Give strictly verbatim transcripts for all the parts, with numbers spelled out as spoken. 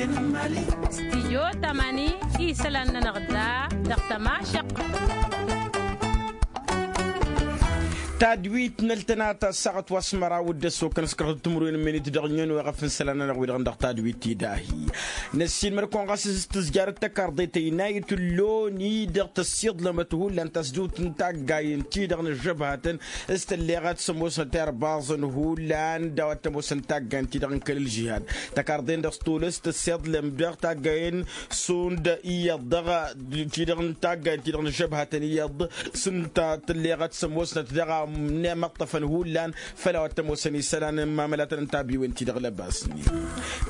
Stijyo tamani isălan-nănăɣ da dăɣ-tămašăqq. Tadwit n-ăltănata ăssaɣăt wa s-măraw d-ăssokăn s-kărhăt timǝrwen n-imenit dăɣ-nyon weɣăf n-isălan-nănăɣ wi-dăɣ dăɣ-tadwit ti dahi. Năssiinmăr-kăwăn ɣas s-tǝzjarăt tăkarḍe tăynayăt n-loni dăɣ-tăssiḍlămăt hullan tasdut n-taggayen-ti-dăɣ n-ăžžăbhatăn s-tălleɣăt s-ămoosnăt irbaẓăn hullan d-a-wa t-ămoosăn taggayen-ti-dăɣ n-kăl-ălžihad. Tăkarḍe-n-dăɣ s-tolăs tăssiḍlăm dăɣ-taggayen šund iyyăḍ dăɣ-ti-dăɣ n-taggayen-ti-dăɣ n-ăžžăbhatăn iyyăḍ s-ǝnta tălleɣăt s-ămoosnăt dăɣ-a n-imăṭṭăfăn hullan făll-a-wa t-ămoosăn isălan n-imamălatăn n-tabiwen-ti-dăɣ lăbasnen.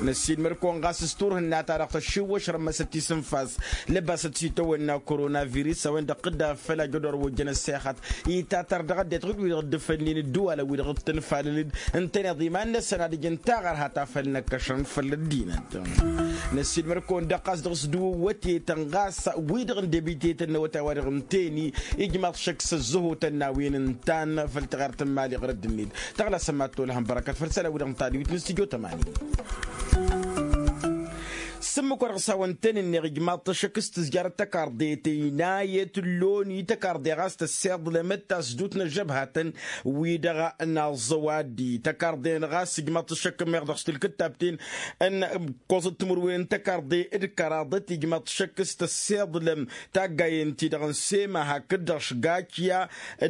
Năssiinmăr-kăwăn ɣas s-turhǝnna-ta-dăɣ tăššiwwăš rămmăsăt tisǝnfas lăbasăt s-itawănna koronavirus a-wen-dăɣ tǝdda făll-ajădor wa ojjăn ăssexăt itatăr dăɣ-ăddinăt ɣǝd wi-dăɣ dd-fălnen ǝddǝwalăn wi-dăɣ dd-tǝnfalăn-dd ǝntăneḍ iman-năsăn ad-ǝjǝn taɣărha ta făll-năkkăšăn făll-ăddinăt. Năssiinmăr-kăwăn-dăɣ ɣas dăɣ-s d-iwǝwwătetăn ɣas wi-dăɣ n-debitetăn n-awătay wa dăɣ-ǝnta eni ijmaḍ šăkk s-ăzzăhotăn n-a-wen ǝntan făll-taɣert n-imali ɣărădd-net. Tăɣlasăm ad-tolăhăm bărăkăt făll-isălan-wi-dăɣ n-tadwit n-studyo tămani. S-ǝmmǝk wa dăɣ-s hawăn-tăn-ǝnneɣ ijmaḍ-t ašăk s-tǝzjarăt tăkarḍe tăynayăt n-loni tăkarḍe ɣas tăssiḍlămăt tasdut n-ăžžăbhatăn wi-dăɣ n-aẓẓăw addi tăkarḍe-năɣ ɣas ijmaḍ-t ašăk ǝmmeɣ dăɣ-s tǝlkǝttabten n-ǝkkoẓăt timǝrwen n-tăkarḍe d-kăraḍăt ijmaḍ-t ašăk s-tăssiḍlăm taggayen-ti-dăɣ n-sema hakd-dăɣ šgačya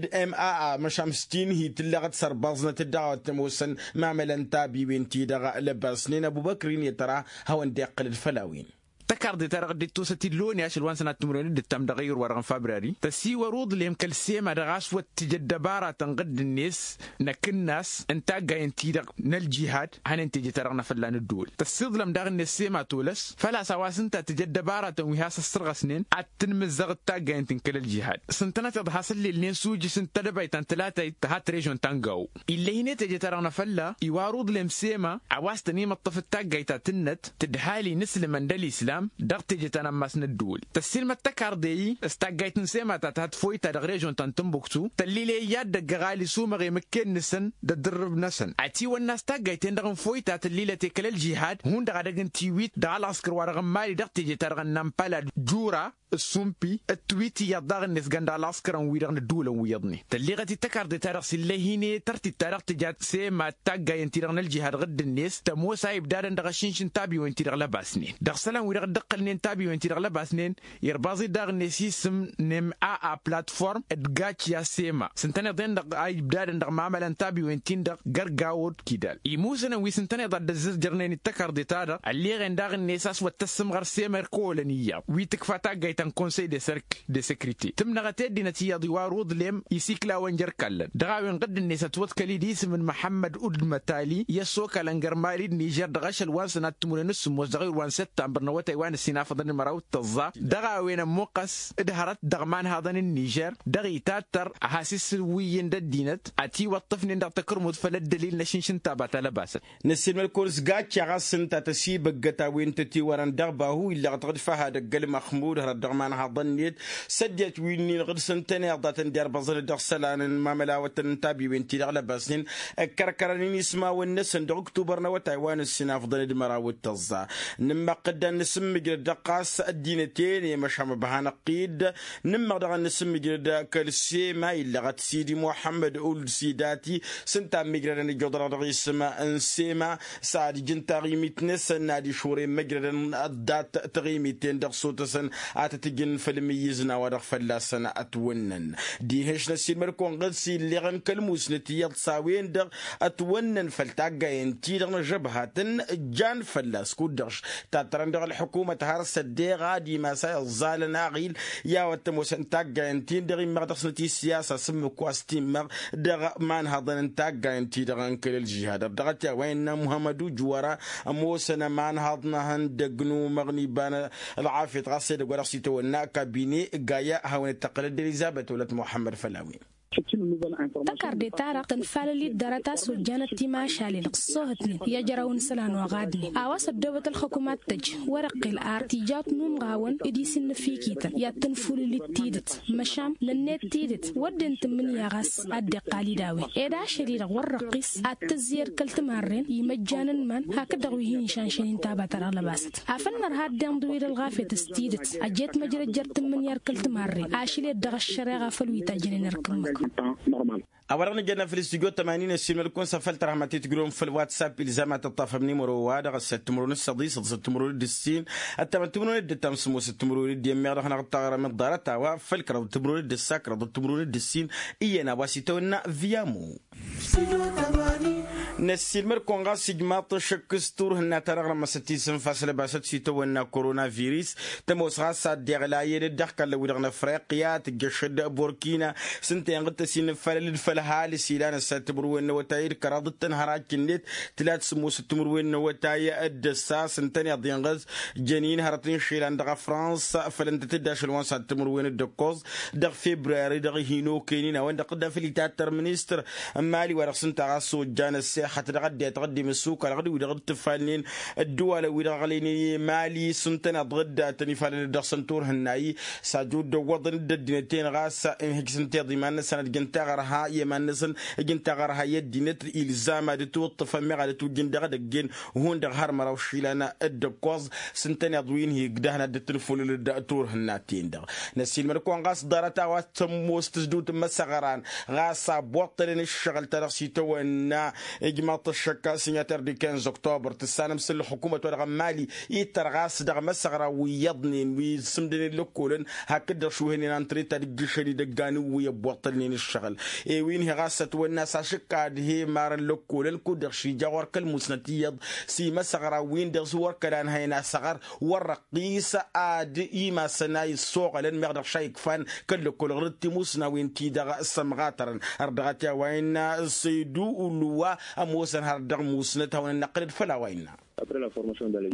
d-maa măšan s-tinhi tǝlleɣăt sărbaẓnăt-dd dăɣ-a-wa t-ămoosăn mamălăn tabiwen-ti-dăɣ lăbasnen ăbubăkr-in i-tăra hawăn-dd-iqqǝl d-făll-a-wen. Tăkarḍe-ta-dăɣ dd-ittusăt i-loni ašăl wa n-sănat timǝrwen d-ǝttam dăɣ-ayǝr wa-dăɣ n-fabryari tăsiwăr uḍlem kăl-sema dăɣ-a-s wăr t-tǝj ăddăbaratăn ɣǝdd-net n-akǝnnas n-taggayen-ti-dăɣ n-ălžihad. Hănen teje-ta-dăɣ n-afălla n-ăddǝwǝl tăssiḍlăm daɣ-net sema tolăs făl-a-s a-wa s-ǝnta tǝj ăddăbaratăn wi has-ăssărɣăsnen ad-tǝnmǝzzăɣ d-taggayen-ti n-kăl-ălžihad s-ǝntănăteḍ has-ăllilnen s-ujǝs n-tedăbayt ta n-tǝlatayt tǝha trežon ta n-gawo. Ill'-e-hin i-teje-ta-dăɣ n-afălla iwar uḍlem sema a-wa s-tăn-imǝṭṭăf d-taggayt ta tǝnnăt tǝdhal-in ǝslǝmăn d-ălislam dăɣ-teje ta n-ammas n-ăddǝwǝl. Tăssiilmăd tăkarḍe-i s-taggayt n-sema ta tǝha tǝfoyta dăɣ-režon ta n-tǝnbuktu tăllil i-ad-dăgg-ăɣali sumăɣem ǝkken-năsăn d-ăddǝrrǝb-năsăn. Atiwănna s-taggayt-en-dăɣ n-foyta tăllilăt i-kăl-ălžihad hundăɣ ad-ăgg n-tiwit dăɣ-ălɣăskăr wa dăɣ-n mali dăɣ-teje-ta-dăɣ n-nampala d-jura d-sumpi d-tiwit iyyăḍ daɣ-net gan dăɣ-ălɣăskărăn-wi-dăɣ n-ăddǝwǝlăn wi iyyăḍnen. Tălleɣăt-dd tăkarḍe-ta-dăɣ s-illăy-hin-e tăr-t-dd-ta-dăɣ tǝja sema d-taggayen-ti-dăɣ n-ălžihad ɣǝdd-net tămoos a ibdadăn dăɣ-ašǝnš n-tabiwen-ti-dăɣ lăbasnen dăɣ-isălan-wi-dăɣ dd-ǝqqǝlnen tabiwen-ti-dăɣ lăbasnen. Irbaẓ-dd daɣ-net isǝm n-maa platform d-gačya sema s-ǝntăneḍ-en-dăɣ a ibdadăn dăɣ-mamălăn tabiwen-tin-dăɣ gărgawo d-kidal imusǝnăn wi s-ǝntăneḍ ad-dd-ăzzăjărnen d-tăkarḍe-ta-dăɣ ălleɣen daɣ-net a-s wăr t-ăssǝmɣăr sema irkăwălăn iyyăḍ wi tǝkfa taggayt ta n-konsăy de sărk de sekrite tǝmnăɣăt i-ăddinăt iyyăḍ iwar uḍlem isikla wa n-jer-ikallăn dăɣ-a-wen ɣǝdd-net ătwăḍkăl-dd isǝm n-măhămmăd udmătali i-ăssokălăn gărmali d-nižer dăɣ-ašăl wa n-sănat timǝrwen s-sǝmmos dăɣ-ayǝr wa n-săttămbăr n-awătay wa n-ǝssin afăḍăn d-măraw d-tăẓẓa dăɣ-a-wen ămmuqqăs d-hărăt dăɣ-imanhaḍăn n-nižer dăɣ-itattăr a has-isǝwwǝyyǝn d-ăddinăt ătiwăṭṭăfnen dăɣ-takărmut făll-ăddălil n-ašǝnš n-taba ta lăbasăt. Năssiilmăl-kăwăn s-gaččaɣ a-s ǝnta tăsibăggăt a-wen tătiwărăn dăɣ-bahu illăɣăt ɣǝd făhad ăgg-ălmăxmud hărăt dăɣ-imanhaḍăn-net săddiyăt wi-nin ɣǝd s-ǝntăneḍ a tăn-dd-irbăẓăn dăɣ-isălan n-imamălawătăn n-tabiwen-ti-dăɣ lăbasnen ǝkkărkărăn inismawăn-năsăn dăɣ-ǝktubăr n-awătay wa n-ǝssin afḍăn d-măraw d-tăẓẓa. Nǝmmăɣ-t dd-ad-nǝsǝmmǝjrăd dăɣ-ɣas ăddinăt-en i-măšan măbhan ăqqid nǝmmăɣ daɣ ad-nǝsǝmmǝjrăd kăl-sema illăɣăt sidi muḥămmăd uld sidati s-ǝnta ămmǝjrădăn ǝjjuḍănăɣ dăɣ-isǝm n-sema s-ad-ǝjǝn taɣimit-năsăn n-ad-išuren măjrădăn ăḍḍat taɣimit-en-dăɣ sotăsăn ad-tăt-ǝjǝn făll-imǝyyǝzna wa dăɣ-fălla-săn ătwănnăn. Dihen-š năssiilmăd-kăwăn ɣǝd s-illeɣăn kăl-musnăt iyyăḍ s-a-wen-dăɣ ătwănnăn făll-taggayen-ti-dăɣ n-ažăbhat n-jan fălla-s kud-dăɣ-š tattărăn dăɣ-ălḥukumăt har s-ăddeɣ ad-imas a iẓẓalăn aɣil i-a-wa t-ămoosăn taggayen-tin-dăɣ immăɣ dăɣ-snăt i-siyasa s-ǝmmǝk wa s-timmăɣ dăɣ-imanhăḍăn n-taggayen-ti-dăɣ n-kăl-ălžihad ărdăɣăt i-a-wa innă muhămmăd ujwăra ămoosăn ămanhăḍ n-ehăndăg n-umăɣ n-iba n-ălɣafyăt ɣas edăgg wa dăɣ-s itawănna kabine gaya hawăn-dd-tăqqǝl ăddălizabăt wălăt muḥămmăd făll-a-wen. Tăkarde-ta-dăɣ tănfalăl-dd dăr-a ta s-ojjanăt timašalen ăṣṣoohătnen i-ăjrăwăn isălan oɣadnen a-wa s-ăddoobăt ălxukum ad-tăj wăr-iqqel ar tijawt n-umɣawăn d-isin n-afikităn i-ad-tănfulǝl-dd tidǝt. Măšan nănnet tidǝt wădden tǝmmǝnǝya ɣas ad-dd-iqqal-dd a-wen ed ašăl-i-dăɣ wăr răqqis ad-tǝzzǝyăd kăl-timarren imăjjan n-iman hakd-dăɣ wi hin-išanšăn inta a ba ta dăɣ-lăbasăt afăl nărha ad-dd-inḍǝw-dd ălɣafyăt s-tidǝt. Ăjjeet măjrăjjăr tǝmmǝnǝya d-kăl-timarren ašăl-ed dăɣ-ăššăreɣa făll-wi tajjănen ărkǝmmǝk. A-wa-dăɣ nǝjănna făll-studyo tămani n-ăssiilmăd-kăwăn s-afăl tărhăm ad-t-tǝjrǝwăm făll-whatsapp ilzam ad-tăṭṭafăm nimăro-wa-dăɣ ăsset timǝrwen d-săḍis ǝḍsăt timǝrwen d-ǝssin ăttamăt timǝrwen d-ǝttam s-ămoosăt timǝrwen d-iyyăn meɣ dăɣ-hanăɣ-dd taɣrăm d-ḍarăt a-wa făll-kăraḍăt timǝrwen d-ǝssa kăraḍăt timǝrwen d-ǝssin. Iyyăn a-wa s-itawănna viamo. Năssiilmăd-kăwăn ɣas ijmaḍ-t ăššăk s-turhǝnna-ta-dăɣ rămmăsăt isǝnfas lăbasăt s-itawănna korona virus. Tămoos ɣas ad-dd-iɣlayăn dd-ăxkallăn-wi-dăɣ n-afriqya tǝjjăš-dd burkina s-ǝnta inɣǝd tăsinǝfalăl-dd făll-ăhalǝs ilan ăssat timǝrwen n-awătay d-kăraḍ d-tănhărac-net. Tǝla d-sǝmmosăt timǝrwen n-awătay d-ăssas ǝntăneḍ inɣǝz jănin hărăt n-išilan dăɣ-fransa făll-ǝntăt-dd ašăl wa n-săt timǝrwen d-ǝkkoẓ dăɣ-febrari dăɣ-hin-okăynen a-wen-dăɣ tǝdda făll-itattăr ministăr n-imali wa dăɣ-s ǝnta ɣas ojjan ăssexăt dăɣ-ăddinăt ɣǝddem ăssukal ɣǝd-wi-dăɣ d-tǝfalnen ăddǝwalăn-wi-dăɣ ăɣlăynen i-imali s-ǝntăneḍ ɣǝddatăn ifalăn-dd dăɣ-săn turhǝnna-i. S-ajud dd-ăwwăḍăn-dd ăddinăt-en ɣas inhǝj s-ǝnta iḍiman-năsăn ad-jăn taɣărha i-iman-năsăn ǝjǝn taɣărha i-ăddinăt ilzam ad-ǝtwǝṭṭǝfăn meɣ ad-ǝtwǝjjǝn dăɣ-edăgg-en. Hundăɣ har măraw išilan d-ǝkkoẓ s-ǝntăneḍ wi n-hi-ǝgdăhăn ad-dd-tǝnfulǝl d-turhǝnna-ten-dăɣ. Năssiilmăd-kăwăn ɣas ḍarăt a-wa s-tămoos tǝzdǝwt n-imăsăɣran ɣas a ăbboṭṭălăn ǝššăɣǝl-ta-dăɣ s-itawănna ijmaḍ-t ăššăk sinyater di kinz oktobăr tǝssanăm s-ǝllăxukumăt-wa-dăɣ n-imali ittăr ɣas dăɣ-imăsăɣra wi iyyăḍnen wi ǝssǝmdănen lăkkolăn hakd-dăɣ šuhănen antreta d-ǝjjǝšăn idăggan n-wi ăbboṭṭălnen ǝššăɣǝl. Ewin-hi ɣas ătwănna s-ašǝkka ad-he-imarăn lăkkolăn kud-dăɣ šija ɣur-kăl-musnăt iyyăḍ s-imăsăɣra-win-dăɣ s-wăr kăla ănhăyăn asăɣăr wăr răqqis ad-imasăn a issoɣălăn meɣ dăɣ-ša ikfan kăl-lăkkol ɣur-dd timusnawen-ti-dăɣ sămɣatărăn. Ărdăɣăt i-a-wa innă săydu ulǝwa ămoosăn har dăɣ-musnăt hawăn-ănnăqqǝlăd făll-a-wa innă.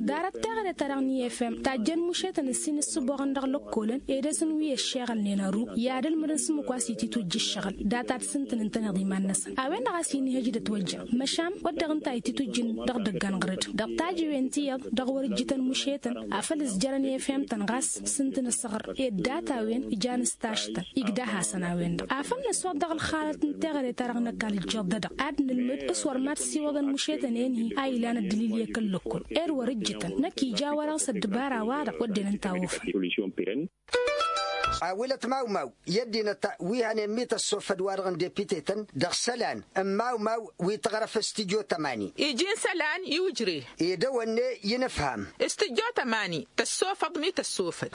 Darăt teɣăre-ta-dăɣ n-i f m tajjăn mušetăn ǝssin ǝssǝboɣăn dăɣ-lăkkolăn ed ăsǝnwi ăššeɣălnen ăru i-ad-ǝlmǝdăn s-ǝmmǝk wa s-ititwǝjj ǝššăɣǝl data d-sǝntǝn ǝntăneḍ iman-năsăn a-wen-dăɣ a-s inhăj d-ătwăjja. Măšan wădden ǝnta a ititwǝjjǝn dăɣ-idăggan ɣǝr-dd dăɣ-tajǝwen ti iyyăḍ dăɣ-wăr-ǝjjǝtăn mušetăn afăl ǝzjărăn i f m-tăn ɣas s-ǝntǝn ăsɣăr ed data-wen ijan s-taštăn igdăh-asăn a-wen-dăɣ afăl năswăḍ dăɣ-ălxalăt n-teɣăre-ta-dăɣ n-ăkall ǝjjuḍădăɣ ad-nǝlmǝd s-wăr mad-siwăḍăn mušetăn-en-hi a ilan ăddǝlil i-kăl-lăkkol ed wăr-ǝjjǝtăn năkk ija a-wa dăɣ-s ăddăbara-wa-dăɣ wădden ǝnta a ofăn. Awǝlăt mawmaw i-ăddinăt wi hănen mităssofăd-wa-dăɣ n-depitetăn dăɣ-isălan n-mawmaw wi tăɣrăf s-tijot ămani. Iji n-isălan i-ujre. Ed ăwănne i-inǝfham. S-tijot ămani tăssofăḍ mităssofăd.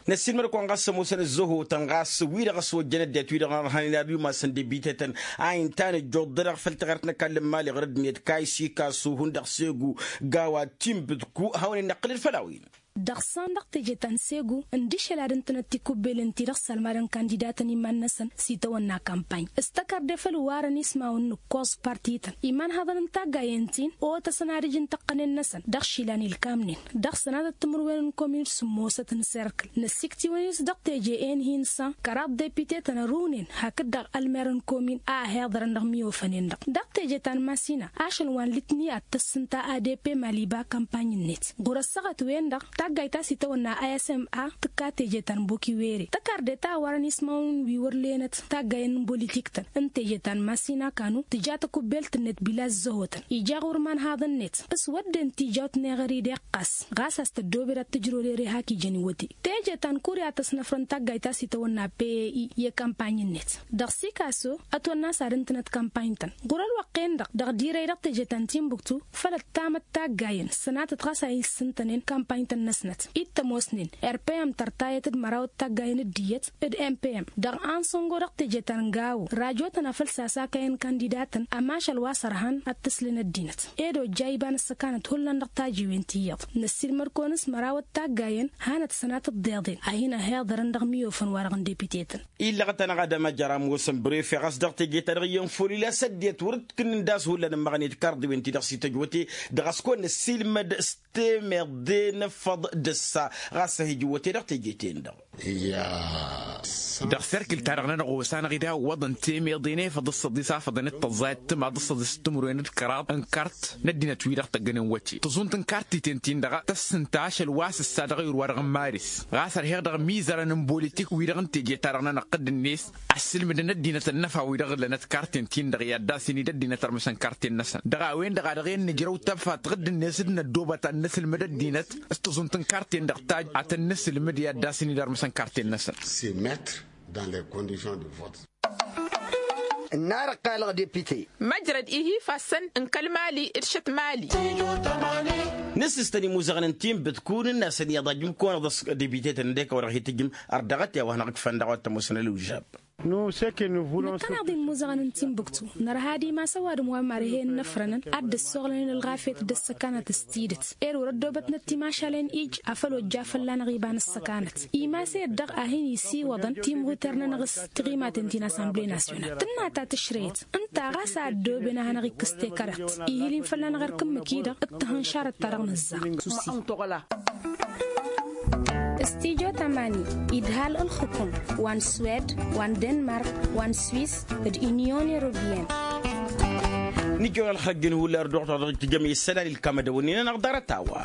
Năssiilmăd-kăwăn ɣas ămoosăn ăzzăhotăn ɣas wi-dăɣ s-ojjăn ăddinăt wi-dăɣ n-ărhănen ad-wi masăn depitetăn a inta nǝjjuḍ-dăɣ făll-taɣărt n-ăkall n-imali ɣur-ăddinăt kaysi kasu hundăɣ segu gawa timbǝdku hawăn-in-năqqǝlăd făll-a-wen. Dăɣ-san dăɣ-teje ta n-segu ǝndǝšăl ad-ǝntănăt tikubbelen-ti-dăɣ s-ălmadăn kandidatăn iman-năsăn s-itawănna kampany s-tăkarde făll-warăn ismawăn n-ǝkkoẓ partităn imanhăḍăn n-taggayen-tin otăsăn ad-ǝj n-tăqqănen-năsăn dăɣ-išilan ilkamnen dăɣ-sănatăt timǝrwen n-komin d-sǝmmosăt n-serkǝl năssikt'-iwăn-s dăɣ-teje-en-hi n-san kăraḍ depitetăn ărunen hakd-dăɣ ălmer n-komin a ăhiḍărăn dăɣ-imiofănen-dăɣ dăɣ-teje ta n-masina ašăl wa n-litni ad-tăss ǝnta adp maliba kampany-net ɣur-ăssaɣăt-wen-dăɣ taggayt ta s-itawănna a s m a tǝkka teje ta n-bokiwere tăkarde ta a warăn ismawăn wi wăr-lenăt taggayen n-bolitiktăn n-teje ta n-masina kanu tǝja takubbelt-net bila ăzzăhotăn ija ɣur-imanhaḍăn-net s-wădden tijawt n-eɣări d-iqqas ɣas a-s tăddoobed ad-tǝjrăwăd ere hak ijăn iwăte teje ta n-kurya tăsnăfrăn taggayt ta s-itawănna p e i i-kampany-net dăɣ-sikaso ătwănna a-s ad-ǝntǝnăt kampany-tăn ɣur-ălwăqq-en-dăɣ dăɣ-dirăy dăɣ-teje ta n-timbuktu făl ăttamăt taggayen sănatăt ɣas a hin-sǝntănen kampany-tăn-năsnăt ittămosnen rpm tărtayăt d-măraw d-taggayen d-iyyăt d-mpm dăɣ-ansăngo dăɣ-teje ta n-gawo rajotăn afăl sasakăyăn kandidatăn ămašal wa s-ărhan ad-t-ǝslen ăddinăt ed ojja iba n-ăssăkanăt hullan dăɣ-tajiwen ti iyyăḍ năssiilmăd-kăwăn s-măraw d-taggayen hanăt-sănatăt d-iḍen a hin-ăhiḍărăn dăɣ-imiofăn-wa-dăɣ n-depitetăn. Illăɣăt-anăɣ ad-ămăjăr ămoosăn brefe ɣas dăɣ-teje-ta-dăɣ iyyăn făw lila s-ăddinăt wăr-dd-kǝnnin d-ass hullan ǝmmăɣnet karḍiwen-ti-dăɣ s-ităjwăte dăɣ-a-s kăwăn-năssiilmăd s-temeḍe n-ăffăḍ. D-ǝssa ɣas ăhijǝwwăte dăɣ-teje-ten-dăɣ. Dăɣ-serkǝl-ta-dăɣ-nănăɣ osanăɣ-dd iwwăḍăn temeḍe n-efăḍ s-săḍis afăḍăn d-tăẓẓayăt timaḍ s-săḍis timǝrwen d-kăraḍ n-kart n-ăddinăt-wi-dăɣ tăggănen wăte tăẓunt n-kartiten-tin-dăɣ tăssǝnta ašăl wa s-ǝssa dăɣ-ayǝr-wa-dăɣ n-maris. Ɣas ărheɣ dăɣ-imizărăn n-bolitik-wi-dăɣ n-teje-ta-dăɣ nănăɣ-t dd-net ăssǝlmǝdăn ăddinăt ănnăfa-wi-dăɣ ǝllănăt karten-tin-dăɣ i-ad-dd-asin-dd ăddinăt ărmǝsăn karten-năsăn dăɣ-a-wen-dăɣ a dăɣ-en nǝjrăw tăbfat ɣǝdd-net d-năddoobăt ad-nǝsǝlmǝd ăddinăt s-tăẓunt n-karten-dăɣ taj ad-tăn-nǝsǝlmǝd i-ad-dd-asin-dd ărmǝsăn karten-năsăn. Se mettre dans les conditions de vote. Ǝnnar ăqqalăɣ depite. Măjrăd ihi ifassăn n-kăl-mali d-šăt mali. Nǝssǝstăn imuzăɣăn n-tinbǝtkun ǝnn'-asăn iyyăḍ ajǝm-kăwăn-dăɣ s-depite-tăn ǝndek a-wa dăɣ-hi-tǝjǝm ărdăɣăt i-a-wa hanăɣ-ǝkfăn daɣ wa t-ămoosăn ălwǝžžab. Năkkăneḍ imuzăɣăn n-tinbǝktu nărha ad-imas ăwadǝm wa marhen n-ăfrănăn ad-dd-ăssoɣlănen ălɣafyăt d-ăssăkanăt s-tidǝt. Ed wăr-ăddoobătnăt timašalen ij afăl ojja fălla-năɣ iba n-ăssăkanăt. Imas-e-dd dăɣ-a hin-isiwăḍăn timɣuter-nănăɣ s-tiɣimaten ti n-assemble nasyonal tǝnna ta tǝšrăyăt. Ǝnta ɣas a ăddooben a hanăɣ-ikkǝs tekărat ihil-in fălla-năɣ erk ǝmmǝk-i-dăɣ d-tihǝnšarăt-ta-dăɣ nǝzzaɣ. S-tijo tamani idhal ǝlxǝkum wa n-swed wa n-denmark wa n-swis d-inyon europeyenne. Nǝjjăwăn ălxăjjăn hullan ărdăɣăt wa dăɣ-tǝjjăm i-issălan ilkam ad-ăwănnen-anăɣ ḍarăt-a-wa.